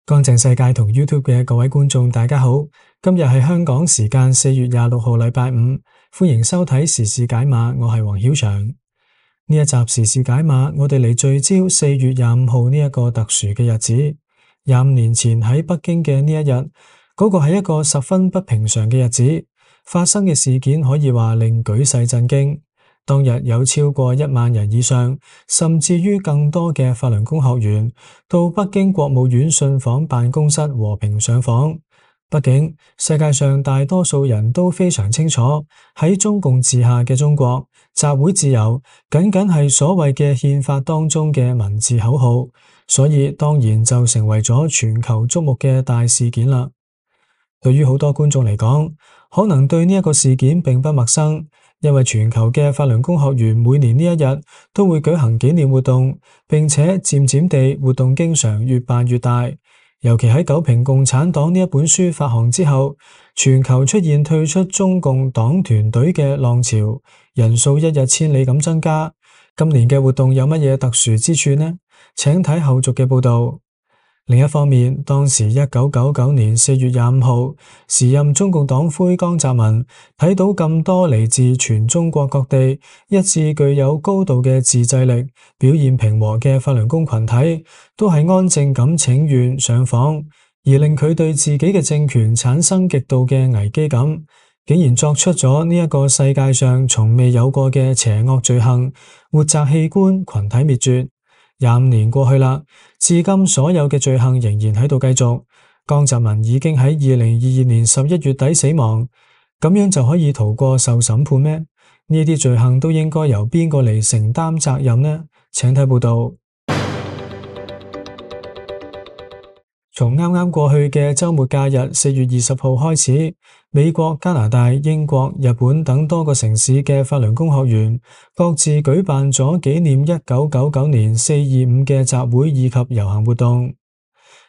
乾淨世界同 YouTube 嘅各位觀眾，大家好。今日係香港時間4月26號，禮拜五，歡迎收睇時事解碼。我係黃曉翔。呢一集時事解碼，我哋嚟聚焦4月25號呢一個特殊嘅日子。25年前喺北京嘅呢一日，嗰個係一個十分不平常嘅日子，發生嘅事件可以話令舉世震驚。當日有超過1萬人以上，甚至於更多嘅法輪功學員到北京國務院信訪辦公室和平上訪。畢竟世界上大多數人都非常清楚，喺中共治下嘅中國，集會自由僅僅係所謂嘅憲法當中嘅文字口號，所以當然就成為咗全球矚目嘅大事件啦。對於好多觀眾嚟講，可能對呢一個事件並不陌生。因為全球嘅法輪功學員每年呢一日都會舉行紀念活動，並且漸漸地活動經常越辦越大。尤其喺《九評共產黨》呢一本書發行之後，全球出現退出中共黨團隊嘅浪潮，人數一日千里咁增加。今年嘅活動有乜嘢特殊之處呢？請睇後續嘅報道。另一方面，當時1999年4月25號，時任中共黨魁江澤民睇到咁多嚟自全中國各地一致具有高度嘅自制力、表現平和嘅法輪功群體，都係安靜咁請願上訪，而令佢對自己嘅政權產生極度嘅危機感，竟然作出咗呢一個世界上從未有過嘅邪惡罪行，活摘器官、群體滅絕。25年過去啦，至今所有嘅罪行仍然喺度繼續。江澤民已經喺2022年11月底死亡，咁樣就可以逃過受審判咩？呢啲罪行都應該由邊個嚟承擔責任呢？請睇報道。從啱啱過去嘅周末假日4月20號開始，美國、加拿大、英國、日本等多個城市嘅法輪功學員各自舉辦咗紀念1999年4.25嘅集會以及遊行活動。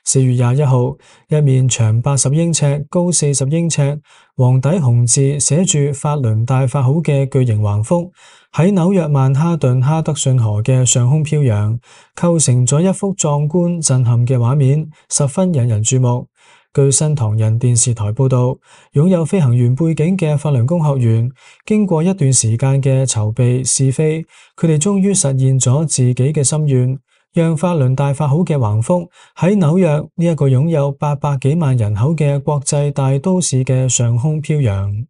4月21號，一面長80英尺、高40英尺、黃底紅字寫住法輪大法好嘅巨型橫幅喺紐約曼哈頓哈德遜河嘅上空飄揚，構成咗一幅壯觀震撼嘅畫面，十分引人注目。據新唐人電視台報道，擁有飛行員背景嘅法輪功學員經過一段時間嘅籌備試飛，佢哋終於實現咗自己嘅心願，讓法輪大法好嘅橫幅喺紐約呢一個擁有800幾萬人口嘅國際大都市嘅上空飄揚。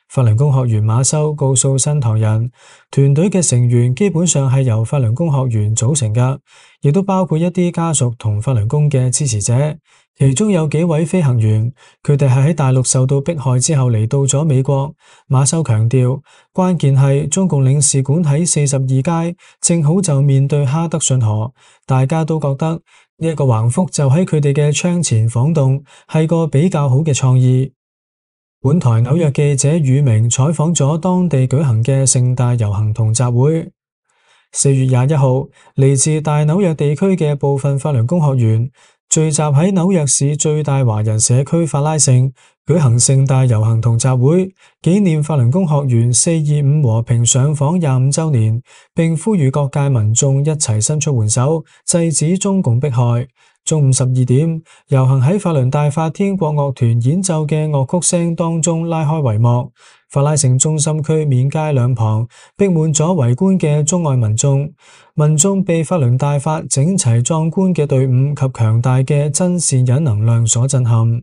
法輪功學員馬修告訴新唐人，團隊嘅成員基本上係由法輪功學員組成㗎，亦都包括一啲家屬同法輪功嘅支持者。其中有幾位飛行員，佢哋係喺大陸受到迫害之後嚟到咗美國。馬修強調，關鍵係中共領事館喺42街，正好就面對哈德遜河，大家都覺得呢一個橫幅就喺佢哋嘅窗前晃動，係個比較好嘅創意。本台紐約記者宇明採訪咗當地舉行嘅盛大遊行同集會。4月21號，嚟自大紐約地區嘅部分法輪功學員聚集喺紐約市最大華人社區法拉盛，舉行盛大遊行同集會，紀念法輪功學員4.25和平上訪25週年，並呼籲各界民眾一齊伸出援手，制止中共迫害。中午12點，遊行喺法輪大法天國樂團演奏嘅樂曲聲當中拉開帷幕。法拉盛中心區面街兩旁逼滿咗圍觀嘅中外民眾，民眾被法輪大法整齊壯觀嘅隊伍及強大嘅真善忍能量所震撼。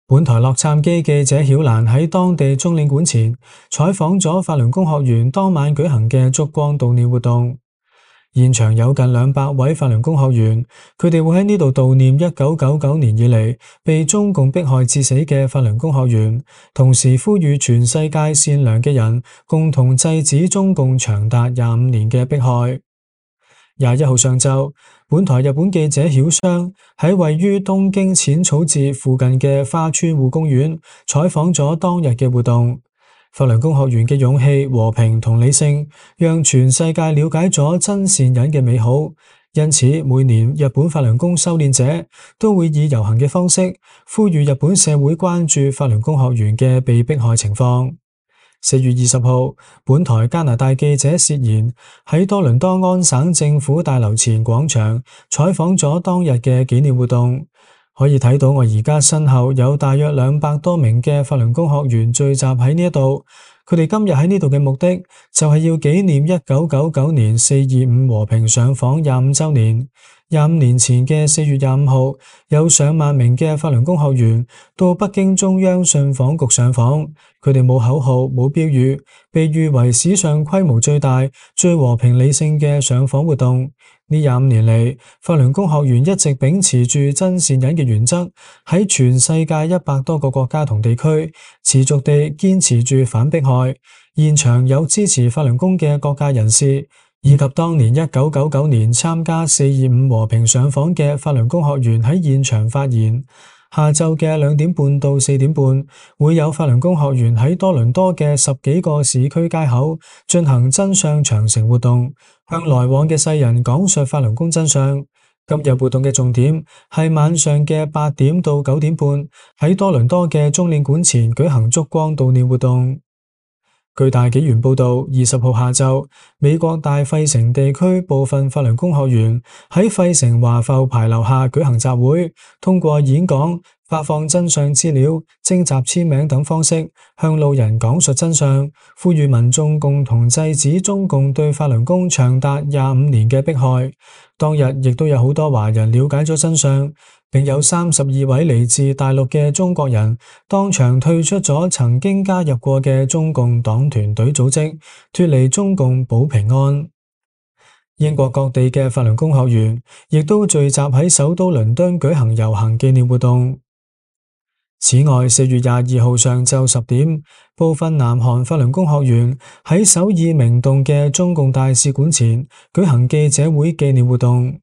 本台洛杉磯記者曉蘭喺當地中領館前採訪咗法輪功學員當晚舉行嘅燭光悼念活動。現場有近200位法輪功學員，佢哋會喺呢度悼念1999年以嚟被中共迫害致死嘅法輪功學員，同時呼籲全世界善良嘅人共同制止中共長達25年嘅迫害。21號上晝，本台日本記者曉商喺位於東京淺草寺附近嘅花川戶公園採訪咗當日嘅活動。法輪功學員嘅勇氣、和平同理性，讓全世界了解咗真善忍嘅美好。因此，每年日本法輪功修煉者都會以遊行嘅方式呼籲日本社會關注法輪功學員嘅被迫害情況。4月20號，本台加拿大記者薛賢喺多倫多安省政府大樓前廣場採訪咗當日嘅紀念活動。可以睇到我而家身後有大約200多名嘅法輪功學員聚集喺呢一度。佢哋今日喺呢度嘅目的就係要紀念1999年4.25和平上訪25週年。25年前嘅4月25號，有上萬名嘅法輪功學員到北京中央信訪局上訪。佢哋冇口號，冇標語，被譽為史上規模最大、最和平理性嘅上訪活動。呢25年嚟，法輪功學員一直秉持住真善忍嘅原則，喺全世界100多個國家同地區持續地堅持住反迫害。現場有支持法輪功嘅各界人士，以及當年1999年參加4.25和平上訪嘅法輪功學員喺現場發言。下晝嘅2點半到4點半，會有法輪功學員喺多倫多嘅10幾個市區街口進行真相長城活動，向來往嘅世人講述法輪功真相。今日活動嘅重點係晚上嘅8點到9點半，喺多倫多嘅中領館前舉行燭光悼念活動。據大紀元報道，20號下晝，美國大費城地區部分法輪功學員喺費城華埠牌樓下舉行集會，通過演講、發放真相資料、徵集簽名等方式，向路人講述真相，呼籲民眾共同制止中共對法輪功長達25年嘅迫害。當日亦都有好多華人了解咗真相，並有32位嚟自大陸嘅中國人當場退出咗曾經加入過嘅中共黨團隊組織，脫離中共保平安。英國各地嘅法輪功學員亦都聚集喺首都倫敦舉行遊行紀念活動。此外，4月22號上晝10點，部分南韓法輪功學員喺首爾明洞嘅中共大使館前舉行記者會紀念活動。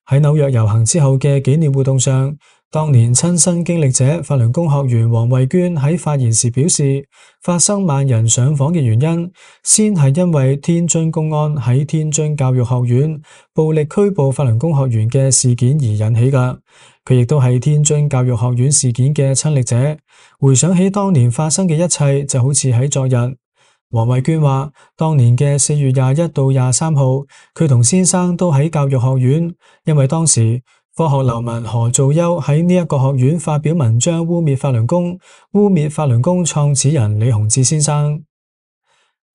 喺紐約遊行之後嘅紀念活動上，當年親身經歷者法輪功學員黃慧娟喺發言時表示，發生萬人上訪嘅原因，先係因為天津公安喺天津教育學院暴力拘捕法輪功學員嘅事件而引起㗎。佢亦都係天津教育學院事件嘅親歷者，回想起當年發生嘅一切，就好似喺昨日。黃慧娟話，當年嘅4月21到23號，佢同先生都喺教育學院，因為當時科學流氓何造休喺呢一個學院發表文章污衊法輪功，污衊法輪功創始人李洪志先生。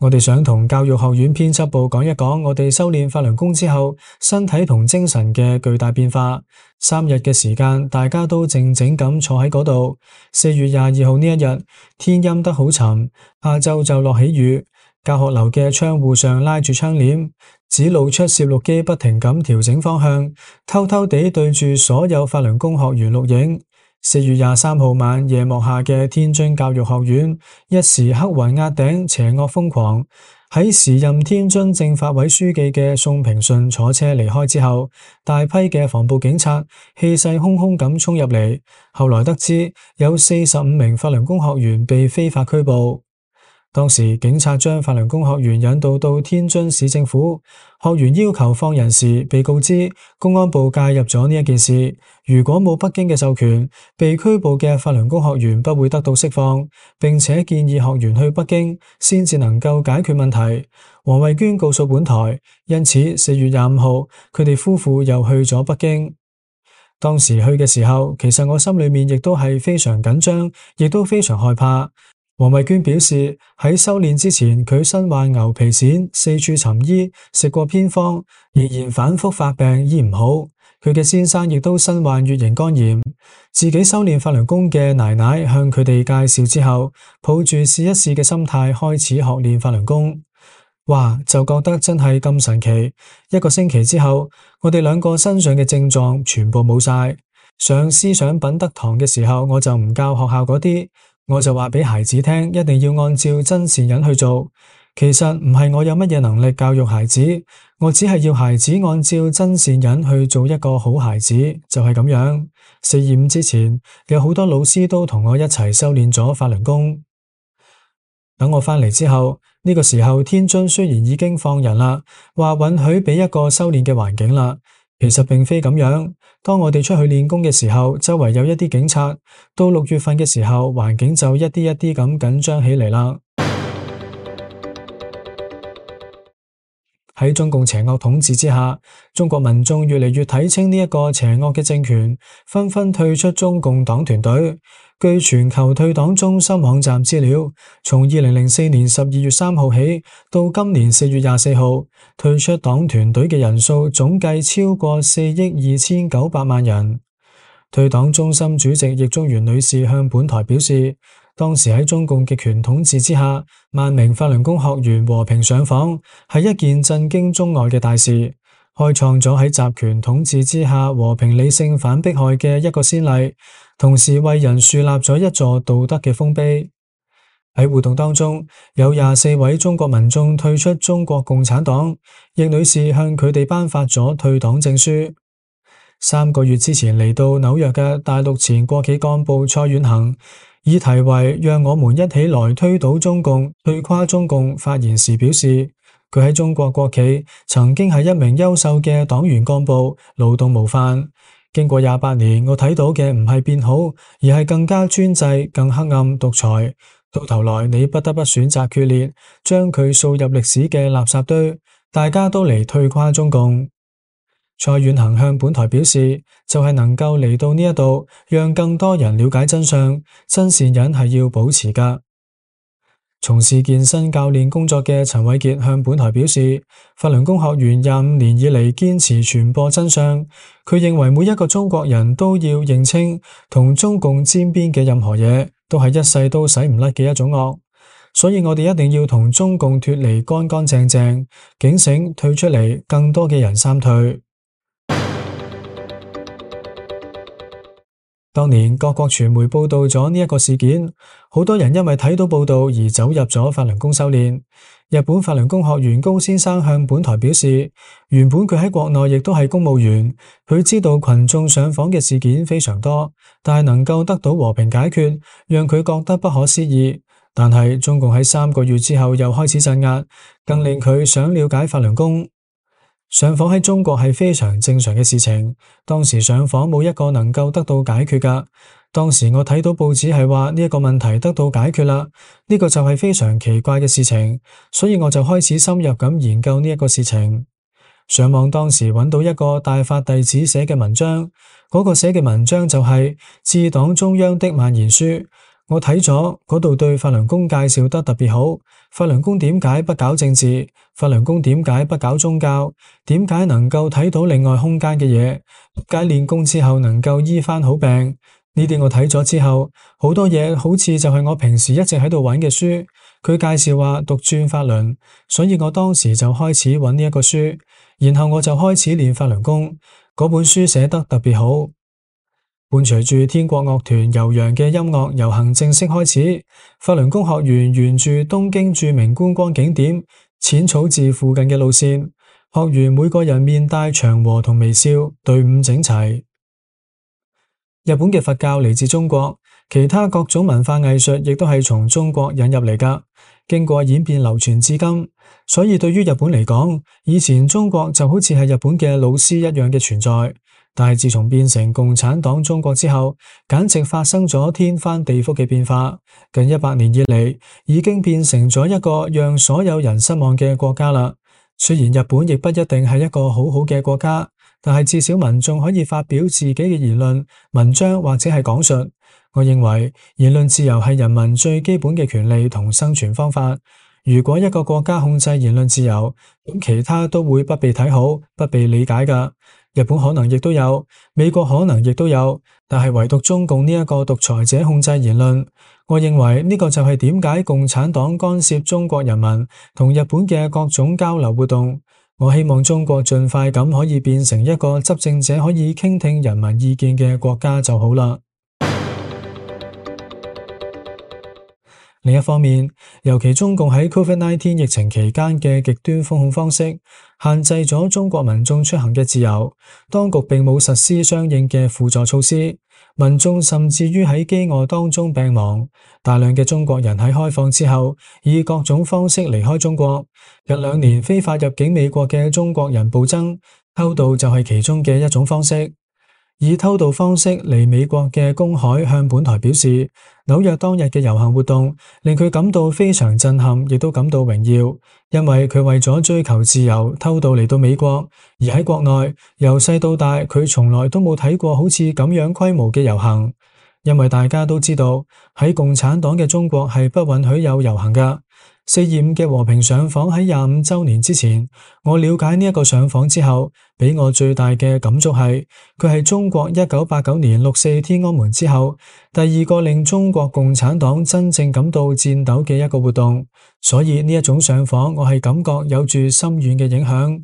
我哋想同教育學院編輯部講一講，我哋修煉法輪功之後，身體同精神嘅巨大變化。3日嘅時間，大家都靜靜咁坐喺嗰度。4月22號呢一日，天陰得好沉，下晝就落起雨。教學樓嘅窗戶上拉住窗簾，只露出攝錄機不停咁調整方向，偷偷地對住所有法輪功學員錄影。4月23號晚夜幕下嘅天津教育學院，一時黑雲壓頂，邪惡瘋狂。喺時任天津政法委書記嘅宋平順坐車離開之後，大批嘅防暴警察氣勢洶洶咁衝入嚟。後來得知有45名法輪功學員被非法拘捕。當時警察將法輪功學員引導到天津市政府，學員要求放人時，被告知公安部介入咗呢一件事，如果冇北京嘅授權，被拘捕嘅法輪功學員不會得到釋放，並且建議學員去北京先至能夠解決問題。黃慧娟告訴本台，因此4月25號，佢哋夫婦又去咗北京。當時去嘅時候，其實我心裏面亦都係非常緊張，亦都非常害怕。黃慧娟表示，喺修煉之前，佢身患牛皮癬，四處尋醫，食過偏方，仍然反覆發病，醫唔好。佢嘅先生亦都身患乙型肝炎，自己修煉法輪功嘅奶奶向佢哋介紹之後，抱住試一試嘅心態開始學練法輪功。哇，就覺得真係咁神奇。1個星期之後，我哋2個身上嘅症狀全部冇晒。上思想品德堂嘅時候，我就唔教學校嗰啲。我就話俾孩子聽，一定要按照真善忍去做。其實唔係我有乜嘢能力教育孩子，我只係要孩子按照真善忍去做一個好孩子，就係咁樣。4.25之前，有好多老師都同我一齊修煉咗法輪功。等我翻嚟之後，呢個時候天津雖然已經放人啦，話允許俾一個修煉嘅環境啦，其實並非咁樣。當我哋出去練功嘅時候，周圍有一啲警察，到6月份嘅時候，環境就一啲一啲咁緊張起嚟啦。喺中共邪惡統治之下，中國民眾越嚟越睇清呢一個邪惡嘅政權，紛紛退出中共黨團隊。據全球退黨中心網站資料，從2004年12月3號起到今年4月24號，退出黨團隊嘅人數總計超過4億2900萬人。退黨中心主席易中元女士向本台表示，當時喺中共極權統治之下，萬名法輪功學員和平上訪，係一件震驚中外嘅大事，開創咗喺集權統治之下和平理性反迫害嘅一個先例，同時為人樹立咗一座道德嘅豐碑。喺活動當中，有24位中國民眾退出中國共產黨，易女士向佢哋頒發咗退黨證書。3個月之前嚟到紐約嘅大陸前國企幹部蔡遠恒，以題為讓我們一起來推倒中共、退垮中共發言時表示，佢喺中國國企曾經係一名優秀嘅黨員幹部，勞動模範。經過28年，我睇到嘅唔係變好，而係更加專制、更黑暗、獨裁。到頭來，你不得不選擇決裂，將佢掃入歷史嘅垃圾堆。大家都嚟退垮中共。蔡遠恒向本台表示，就係能夠嚟到呢一度，讓更多人了解真相，真善忍係要保持噶。從事健身教練工作嘅陳偉傑向本台表示，法輪功學員25年以嚟堅持傳播真相，佢認為每一個中國人都要認清同中共沾邊嘅任何嘢，都係一世都洗唔甩嘅一種惡，所以我哋一定要同中共脫離乾乾淨淨，警醒退出嚟，更多嘅人三退。當年各國傳媒報道咗呢一個事件，好多人因為睇到報道而走入咗法輪功修煉。日本法輪功學員高先生向本台表示，原本佢喺國內亦都係公務員，佢知道群眾上訪嘅事件非常多，但係能夠得到和平解決，讓佢覺得不可思議。但係中共喺3個月之後又開始鎮壓，更令佢想了解法輪功。上訪喺中國係非常正常嘅事情，當時上訪冇一個能夠得到解決噶。當時我睇到報紙係話呢一個問題得到解決啦，呢個就係非常奇怪嘅事情，所以我就開始深入咁研究呢一個事情。上網當時揾到一個大法弟子寫嘅文章，嗰個寫嘅文章就係致黨中央的蔓延書。我睇咗嗰度對法輪功介紹得特別好，法輪功點解不搞政治？法輪功點解不搞宗教？點解能夠睇到另外空間嘅嘢？點解練功之後能夠醫翻好病？呢啲我睇咗之後，好多嘢好似就係我平時一直喺度揾嘅書。佢介紹話獨轉法輪，所以我當時就開始揾呢一個書，然後我就開始練法輪功。嗰本書寫得特別好。伴隨住天國樂團悠揚嘅音樂遊行正式開始，法輪功學員沿住東京著名觀光景點淺草寺附近嘅路線，學員每個人面帶祥和同微笑，隊伍整齊。日本嘅佛教嚟自中國，其他各種文化藝術亦都係從中國引入嚟噶，經過演變流傳至今。所以對於日本嚟講，以前中國就好似係日本嘅老師一樣嘅存在。但係自從變成共產黨中國之後，簡直發生咗天翻地覆嘅變化。近100年以嚟，已經變成咗一個讓所有人失望嘅國家啦。雖然日本亦不一定係一個好好嘅國家，但係至少民眾可以發表自己嘅言論、文章或者係講述。我認為言論自由係人民最基本嘅權利同生存方法。如果一個國家控制言論自由，咁其他都會不被睇好、不被理解噶。日本可能亦都有，美國可能亦都有，但係唯獨中共呢一個獨裁者控制言論。我認為呢個就係點解共產黨干涉中國人民同日本嘅各種交流活動。我希望中國盡快咁可以變成一個執政者可以傾聽人民意見嘅國家就好啦。另一方面，尤其中共喺 COVID-19 疫情期間嘅極端封控方式，限制咗中國民眾出行嘅自由，當局並冇實施相應嘅輔助措施，民眾甚至於喺飢餓當中病亡。大量嘅中國人喺開放之後，以各種方式離開中國。近2年非法入境美國嘅中國人暴增，偷渡就係其中嘅一種方式。以偷渡方式嚟美國嘅公海向本台表示，紐約當日嘅遊行活動令佢感到非常震撼，亦都感到榮耀，因為佢為咗追求自由偷渡嚟到美國，而喺國內由細到大佢從來都冇睇過好似咁樣規模嘅遊行，因為大家都知道喺共產黨嘅中國係不允許有遊行㗎。4.25嘅和平上訪喺25週年之前，我了解呢一個上訪之後，俾我最大嘅感觸係，佢係中國1989年6.4天安門之後，第二個令中國共產黨真正感到顫抖嘅一個活動，所以呢一種上訪，我係感覺有住深遠嘅影響。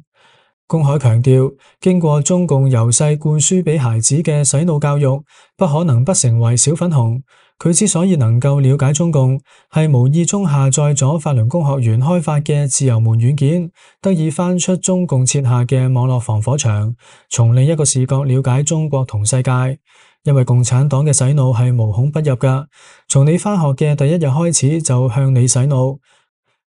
公海強調，經過中共由細灌輸俾孩子嘅洗腦教育，不可能不成為小粉紅。佢之所以能夠了解中共，係無意中下載咗法輪功學員開發嘅自由門軟件，得以翻出中共設下嘅網絡防火牆，從另一個視角了解中國同世界。因為共產黨嘅洗腦係無孔不入㗎，從你翻學嘅第一日開始就向你洗腦。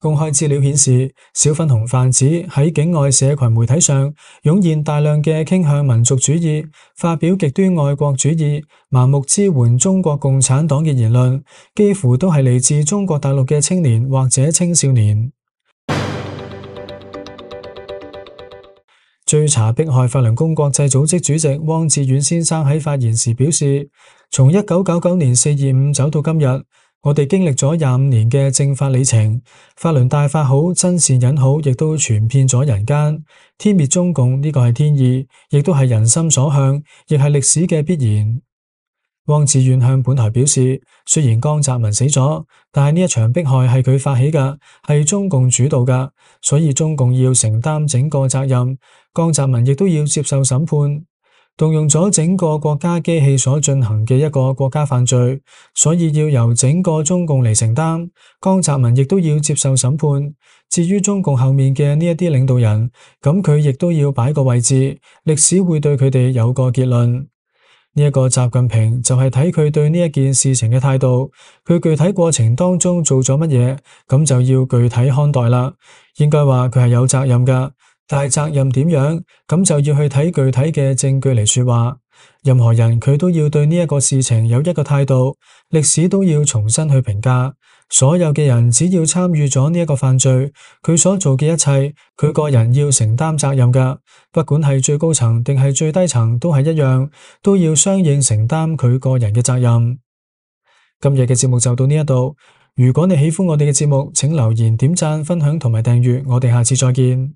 公開資料顯示，小粉紅販子喺境外社群媒體上湧現大量嘅傾向民族主義、發表極端愛國主義、盲目支援中國共產黨嘅言論，幾乎都係嚟自中國大陸嘅青年或者青少年。追查迫害法輪功國際組織主席汪志遠先生喺發言時表示，從1999年4.25走到今日，我哋經歷咗25年嘅正法里程，法輪大法好，真善忍好，亦都傳遍咗人間。天滅中共呢個係天意，亦都係人心所向，亦係歷史嘅必然。汪志遠向本台表示，雖然江澤民死咗，但係呢一場迫害係佢發起㗎，係中共主導㗎，所以中共要承擔整個責任，江澤民亦都要接受審判。動用咗整個國家機器所進行嘅一個國家犯罪，所以要由整個中共嚟承擔。江澤民亦都要接受審判。至於中共後面嘅呢一啲領導人，咁佢亦都要擺個位置，歷史會對佢哋有個結論。呢一個習近平就係睇佢對呢一件事情嘅態度，佢具體過程當中做咗乜嘢，咁就要具體看待啦。應該話佢係有責任㗎。但係責任點樣，咁就要去睇具體嘅證據嚟說話。任何人佢都要對呢一個事情有一個態度，歷史都要重新去評價。所有嘅人只要參與咗呢一個犯罪，佢所做嘅一切，佢個人要承擔責任㗎。不管係最高層定係最低層都係一樣，都要相應承擔佢個人嘅責任。今日嘅節目就到呢一度。如果你喜歡我哋嘅節目，請留言、點讚、分享同埋訂閱。我哋下次再見。